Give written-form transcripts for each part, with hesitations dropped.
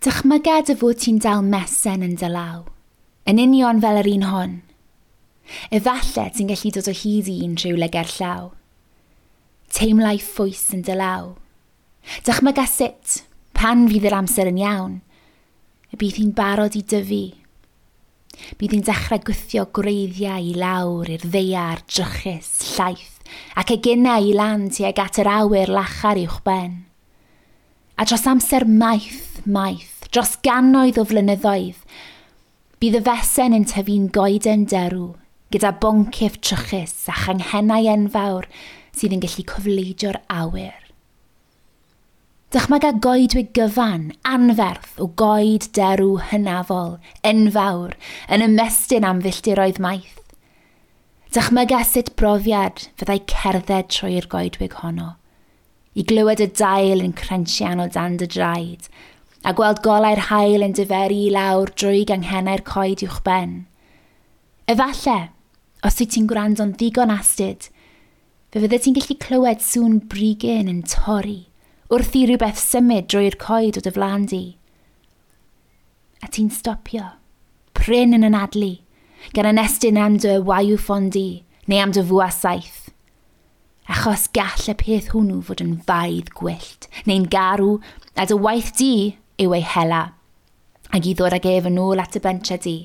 Dychmyga dy fod ti'n dal mesen yn dy law, yn union fel yr un hon. Efallai ti'n gallu dod o hyd i un rhywle gerllaw. Teimlai ffwys yn dy law. Dychmyga sut, pan fydd yr amser yn iawn, y bydd hi'n barod i dyfu. Bydd hi'n dechrau gwthio gwreiddiau i lawr i'r ddaear drychus, llaith, ac eginau i lan tuag at yr awyr lachar uwchben. A dros amser maith, maith, dros gannoedd o flynyddoedd, bydd y fesen yn tyfu'n goeden derw, gyda boncyff trychus a changhennau enfawr sydd yn gallu cofleidio'r awyr. Dychmyga goedwig gyfan, anferth o goed derw hynafol, enfawr, yn ymestyn am filltiroedd maith. Dychmyga sut brofiad fyddai cerdded trwy'r goedwig honno, i glywed y dail yn crensian o dan dy draed, a gweld golau'r haul yn diferu i lawr drwy ganghennau'r coed uwchben. Efallai, os wyt ti'n gwrando'n ddigon astud, fe fyddet ti'n gallu clywed sŵn brigyn yn torri wrth i rhywbeth symud drwy'r coed o dy flaen di. A ti'n stopio, prin yn anadlu, gan anestyn am dy waywffon di, neu am dy fwa saeth. Achos gall y peth hwnnw fod yn faidd gwyllt, neu'n garw, a dy waith di yw ei hela, ac i ddod ag ef yn ôl at y bentre di,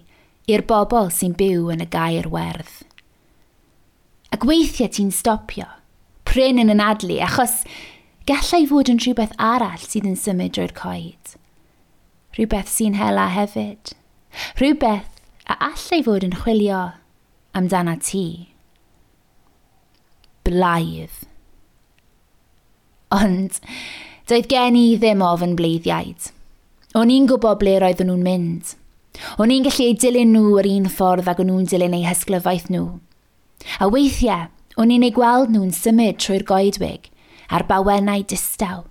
i'r bobl sy'n byw yn y gair werdd. Ac weithiau ti'n stopio, prin yn anadlu, achos gallai fod yn rhywbeth arall sydd yn symud drwy'r coed. Rhywbeth sy'n hela hefyd. Rhywbeth a allai fod yn chwilio amdana ti. Blaidd. Ond doedd gen i ddim ofn bleiddiaid. O'n i'n gwybod ble roedden nhw'n mynd. O'n i'n gallu eu dilyn nhw yr un ffordd ag o'n nhw'n dilyn eu hysglyfaeth nhw. A weithiau, o'n i'n eu gweld nhw'n symud trwy'r goedwig a'r bawennau distaw,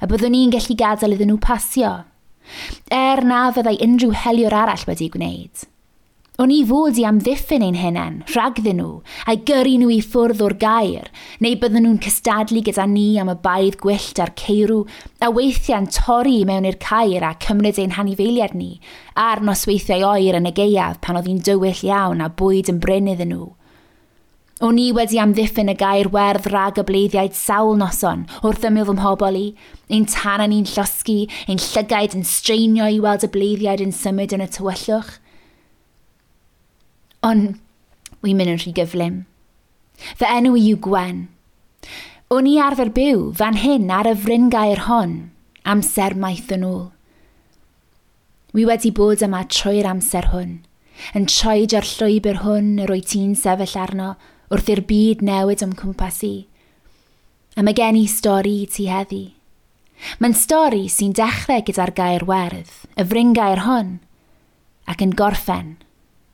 a byddwn i'n gallu gadael iddyn nhw pasio, er na fyddai unrhyw heliwr arall wedi gwneud. O'n i fod i amddiffyn ein hunain, rhagddyn nhw, a'i gyrru nhw i ffwrdd o'r gair, neu bydden nhw'n cystadlu gyda ni am y baedd gwyllt a'r ceirw, a weithiau'n torri i mewn i'r cair a cymryd ein hanifeiliaid ni, a'r nosweithiau oer yn y gaeaf pan oedd hi'n dywyll iawn a bwyd yn brin iddyn nhw. O'n i wedi amddiffyn y gair werdd rhag y bleiddiaid sawl noson wrth ymyl fy mhobl i, ein tanau ni'n llosgi, ein llygaid yn straenio i weld y bleiddiaid yn symud yn y tywyllwch. Ond wi'n mynd yn rhy gyflym. Fy enw i yw Gwen. O'n i arfer byw fan hyn ar y fryngaer hon, amser maith yn ôl. Wi wedi bod yma trwy'r amser hwn, yn troedio'r llwybr hwn yr wyt ti'n sefyll arno wrth i'r byd newid o'm cwmpas i. A mae gen i stori i ti heddi. Mae'n stori sy'n dechrau gyda'r gair werdd, y fryngaer hon, ac yn gorffen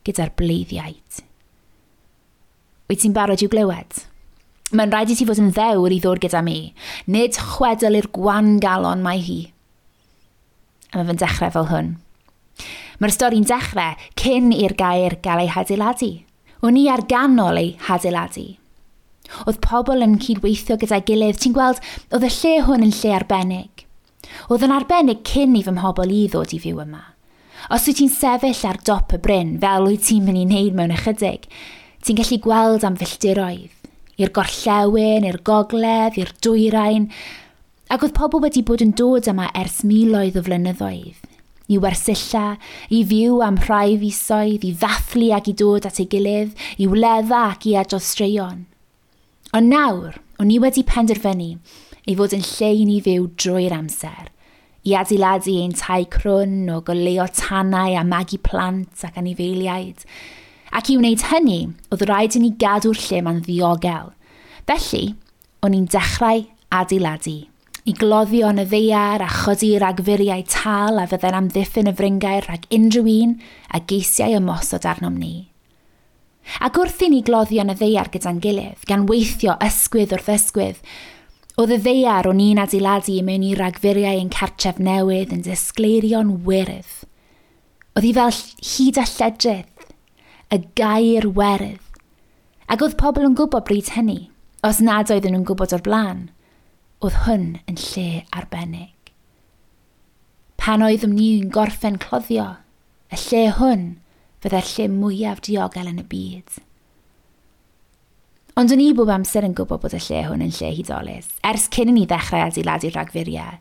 gyda'r bleiddiaid. Wyt ti'n barod i'w glywed? Mae'n rhaid i ti fod yn ddewr i ddod gyda mi, nid chwedl i'r gwan galon mae hi. A mae fe'n dechrau fel hwn. Mae'r stori'n dechrau cyn i'r gair gael ei hadeiladu. O'n i ar ganol ei hadeiladu. Oedd pobl yn cydweithio gyda'i gilydd. Ti'n gweld, oedd y lle hwn yn lle arbennig. Oedd yn arbennig cyn i fy mhobl i ddod i fyw yma. Os wyt ti'n sefyll ar dop y bryn, fel wyt ti'n mynd i wneud mewn ychydig, ti'n gallu gweld am filltiroedd, i'r gorllewin, i'r gogledd, i'r dwyrain, ac oedd pobl wedi bod yn dod yma ers miloedd o flynyddoedd, i wersylla, i fyw am rhai fisoedd, i ddathlu ac i dod at ei gilydd, i wledda ac i adrodd straeon. Ond nawr, o'n i wedi penderfynu ei fod yn lle i ni fyw drwy'r amser, i adeiladu ein tai crwn o goleuo tanau a magu plant ac anifeiliaid. Ac i wneud hynny, oedd rhaid i ni gadw'r lle ma'n ddiogel. Felly, o'n i'n dechrau adeiladu. I gloddio yn y ddaear a chodi ragfuriau tal a fyddai'n amddiffyn y fryngaer rhag unrhyw un a geisiau ymosod arnom ni. Ac wrth i ni gloddio yn y ddaear gyda'n gilydd, gan weithio ysgwydd wrth ysgwydd, oedd y ddaear o'n i'n adeiladu i mewn i ragfuriau ein cartref newydd yn disgleirio'n wyrdd. Oedd hi fel hyd a lledrith, y gair werdd. Ac oedd pobl yn gwybod bryd hynny, os nad oedden nhw'n gwybod o'r blaen, oedd hwn yn lle arbennig. Pan oeddwn ni'n gorffen cloddio, y lle hwn fydde'r lle mwyaf diogel yn y byd. Ond o'n i bob amser yn gwybod bod y lle hwn yn lle hudolus, ers cyn i ni ddechrau adeiladu'r rhagfuriau,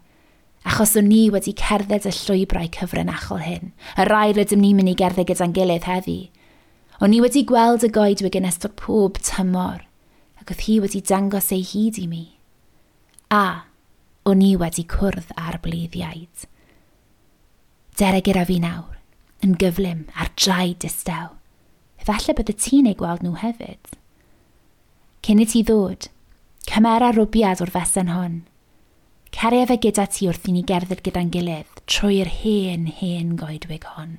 achos o'n ni wedi cerdded y llwybrau cyfrinachol hyn, y rai rydym ni'n mynd i gerdded gyda'n gilydd heddi. O'n i wedi gweld y goedwig yn ystod pob tymor, ac oedd hi wedi dangos ei hyd i mi. A, o'n i wedi cwrdd â'r bleiddiaid. Dere gyda fi nawr, yn gyflym ar draed distaw. Efallai bydde ti'n ei gweld nhw hefyd. Cyn i ti ddod, cymera rwbiad o'r fesen hon. Caria fe gyda ti wrth i ni gerdded gyda'n gilydd trwy'r hen, hen goedwig hon.